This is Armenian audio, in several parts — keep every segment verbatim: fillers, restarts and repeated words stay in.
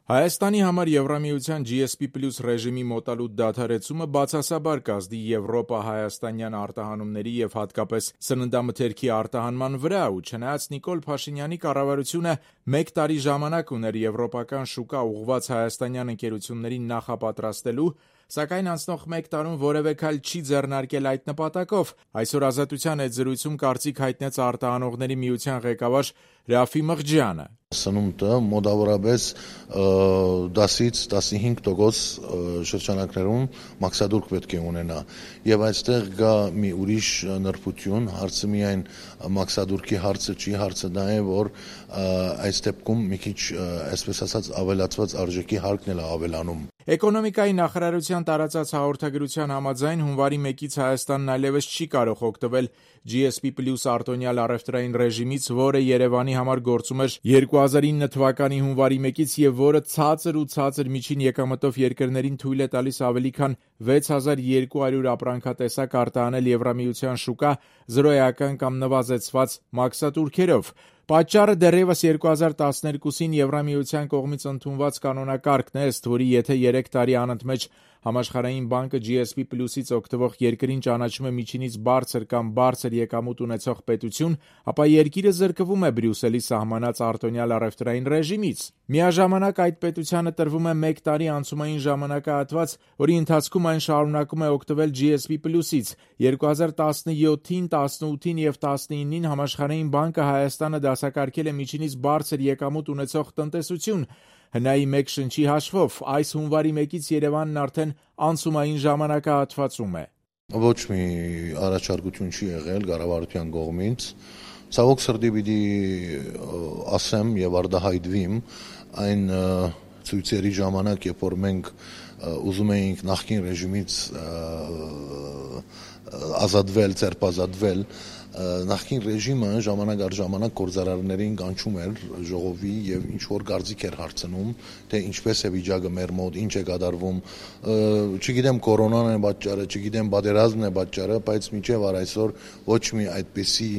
Հայաստանի համար Եվրամիության G S P Plus ռեժիմի մոտալուտ դադարեցումը բացասաբար կազդի Եվրոպա-հայաստանյան արտահանումների և հատկապես սննդամթերքի արտահանման վրա ու չնայած Նիկոլ Փաշինյանի կառավարությունը մեկ տարի ժամանակ ուներ եվրոպական շուկա ուղղված հայաստանյան ընկերություններին նախապատրաստելու, սակայն անցնող մեկ տարում որևէ քայլ չի ձեռնարկել այդ նպատակով, այսօր Ազատության հետ զրույցում կարծիք հայտնեց արտահանողների միության ղեկավար Ռաֆի Մղջյանը. Սնունդը մոտավորապես դասից տասնհինգ տոկոս շրջանակներում մաքսադուրք պետք է ունենա եւ այստեղ կա մի ուրիշ նրբություն, հարցը միայն մաքսադուրքի հարցը չի, հարցը դա է, որ այս դեպքում մի քիչ այսպես ասած ավելացված արժեքի հարկն էլ ավելանում։ Էկոնոմիկայի նախարարության տարածած հաղորդագրության համաձայն հունվարի մեկից Հայաստանն այլևս չի կարող օգտվել G S P Plus արտոնյալ առևտրային ռեժիմից, որը Երևանի համար գործում էր երկու հազար ինը թվականի հունվարի մեկից եւ որը ցածր ու ցածր միջին եկամտով երկրներին թույլ է տալիս ավելի քան վեց հազար երկու հարյուր ապրանքատեսակ արտահանել Եվրամիության շուկա զրոյական կամ նվազեցված մաքսատուրքերով։ Պատճառը դեռևս երկու հազար տասներկուսին Եվրամիության կողմից ընդունված կանոնակարգն է, ըստ որի եթե երեք տարի անընդմեջ Համաշխարհային բանկը G S P Plus-ից օգտվող երկրին ճանաչում է միջինից բարձր կամ բարձր եկամուտ ունեցող պետություն, ապա երկիրը զրկվում է Բրյուսելի սահմանած արտոնյալ առևտրային ռեժիմից։ Միաժամանակ այդ պետությանը տրվում է մեկ տարի անցումային ժամանակահատված, որի ընթացքում այն շարունակում է օգտվել G S P Plus-ից։ երկու հազար տասնյոթին, տասնութին եւ տասնինին Համաշխարհային բանկը Հայաստանը դասակարգել է միջինից բարձր եկամուտ ունեցող տնտեսություն։ Հնայի մեկ շնչի հաշվով այս հունվարի մեկից Երևանն արդեն անցումային ժամանակահատվածում է։ Ոչ մի առաջարկություն չի եղել կառավարության կողմից։ Ցավոք սրտի պիտի ասեմ եւ արտահայտվիմ այն ցույցերի ժամանակ, երբ որ մենք ուզում էինք նախկին ռեժիմից ազատվել, ձերբազատվել, նախկին ռեժիմը ժամանակ առ ժամանակ գործարարներին կանչում էր ժողովի եւ ինչ որ կարծիք էր հարցնում, թե ինչպես է վիճակը մեր մոտ, ինչ է կատարվում, չգիտեմ կորոնան է պատճառը, չգիտեմ պատերազմն է պատճառը, բայց մինչեւ առ այսօր ոչ մի այդպիսի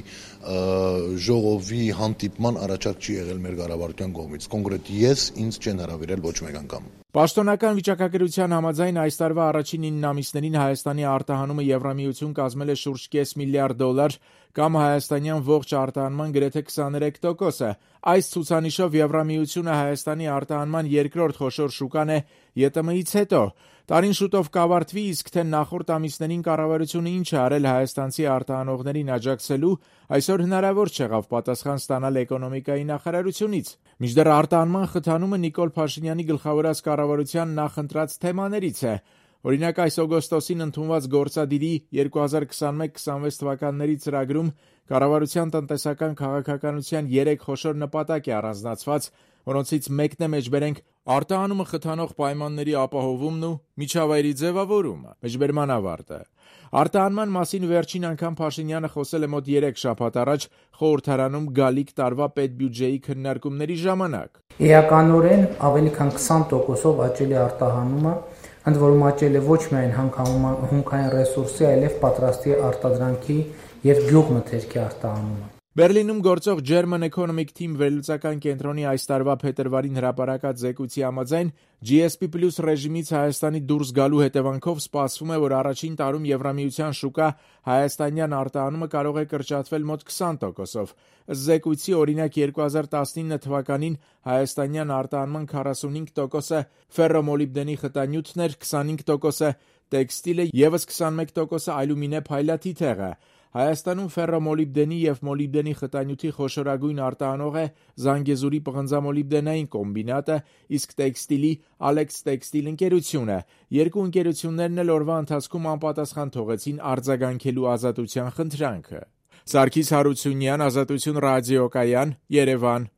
ժողովի հանդիպման առաջարկ չի եղել մեր կառավարության կողմից։ Կոնկրետ ես ինձ չեն հրավիրել ոչ մեկ անգամ։ Պաշտոնական վիճակագրության համաձայն այս տարվա առաջին ինը ամիսներին Հայաստանի արտահանումը Եվրամիություն կազմել է շուրջ կես միլիարդ դոլար կամ հայաստանյան ողջ արտահանման գրեթե քսաներեք տոկոսը։ Այս ցուցանիշով Եվրամիությունը Հայաստանի արտահանման երկրորդ խոշոր շուկան է Ե Տ Մ-ից հետո։ Տարին շուտով կավարտվի, իսկ թե նախորդ ամիսներին կառավարությունը ինչ է արել հայաստանցի արտահանողներին աջակցելու, այսօր հնարավոր չեղավ պատասխան ստանալ էկոնոմիկայի նախարարությունից։ Մինչդեռ արտահանման խթանումը Նիկոլ Փաշինյանի գլխավորած կառավարության նախընտրած թեմաներից է։ Օրինակ այս օգոստոսին ընդունված գործադիրի երկու հազար քսանմեկ քսանվեց թվականների ծրագրում կառավարության տնտեսական քաղաքականության երեք խոշոր նպատակ է առանձնացված, որոնցից մեկն է մեջբերենք արտահանումը խթանող պայմանների ապահովումն ու միջավայրի ձևավորումը։ Մեջբերման ավարտը։ Արտահանման մասին վերջին անգամ Փաշինյանը խոսել է մոտ երեք շաբաթ առաջ խորհրդարանում գալիք տարվա պետբյուջեի քննարկումների ժամանակ։ Էականորեն ավելի քան քսան տոկոսով աճել է արտահանումը, ընդ որում աճել է ոչ միայն հումքային ռեսուրսի, այլև պատրաստի արտադրանքի եւ գյուղմթերքի արտահանումը։ Բերլինում գործող German Economic Team վերլուծական կենտրոնի այս տարվա փետրվարին հրապարակած զեկույցի համաձայն G S P Plus ռեժիմից Հայաստանի դուրս գալու հետևանքով սպասվում է, որ առաջին տարում Եվրամիության շուկա հայաստանյան արտահանումը կարող է կրճատվել մոտ քսան տոկոսով։ Ըստ զեկույցի, օրինակ երկու հազար տասնինը թվականին հայաստանյան արտահանման քառասունհինգ տոկոսը ֆերրոմոլիբդենի խտանյութն էր, քսանհինգ տոկոսը տեքստիլը, եւս քսանմեկ տոկոսը այլումինե փայլաթիթեղը։ Հայաստանում ֆերրոմոլիբդենի եւ մոլիբդենի խտանյութի խոշորագույն արտահանող է Զանգեզուրի պղնձամոլիբդենային կոմբինատը, իսկ տեքստիլի Alex Textile ընկերությունը։ Երկու ընկերություններն էլ օրվա ընթացքում անպատասխան թողեցին արձագանքելու ազատության խնդրանքը։ Սարգիս Հարությունյան, Ազատություն ռադիոկայան, Երևան։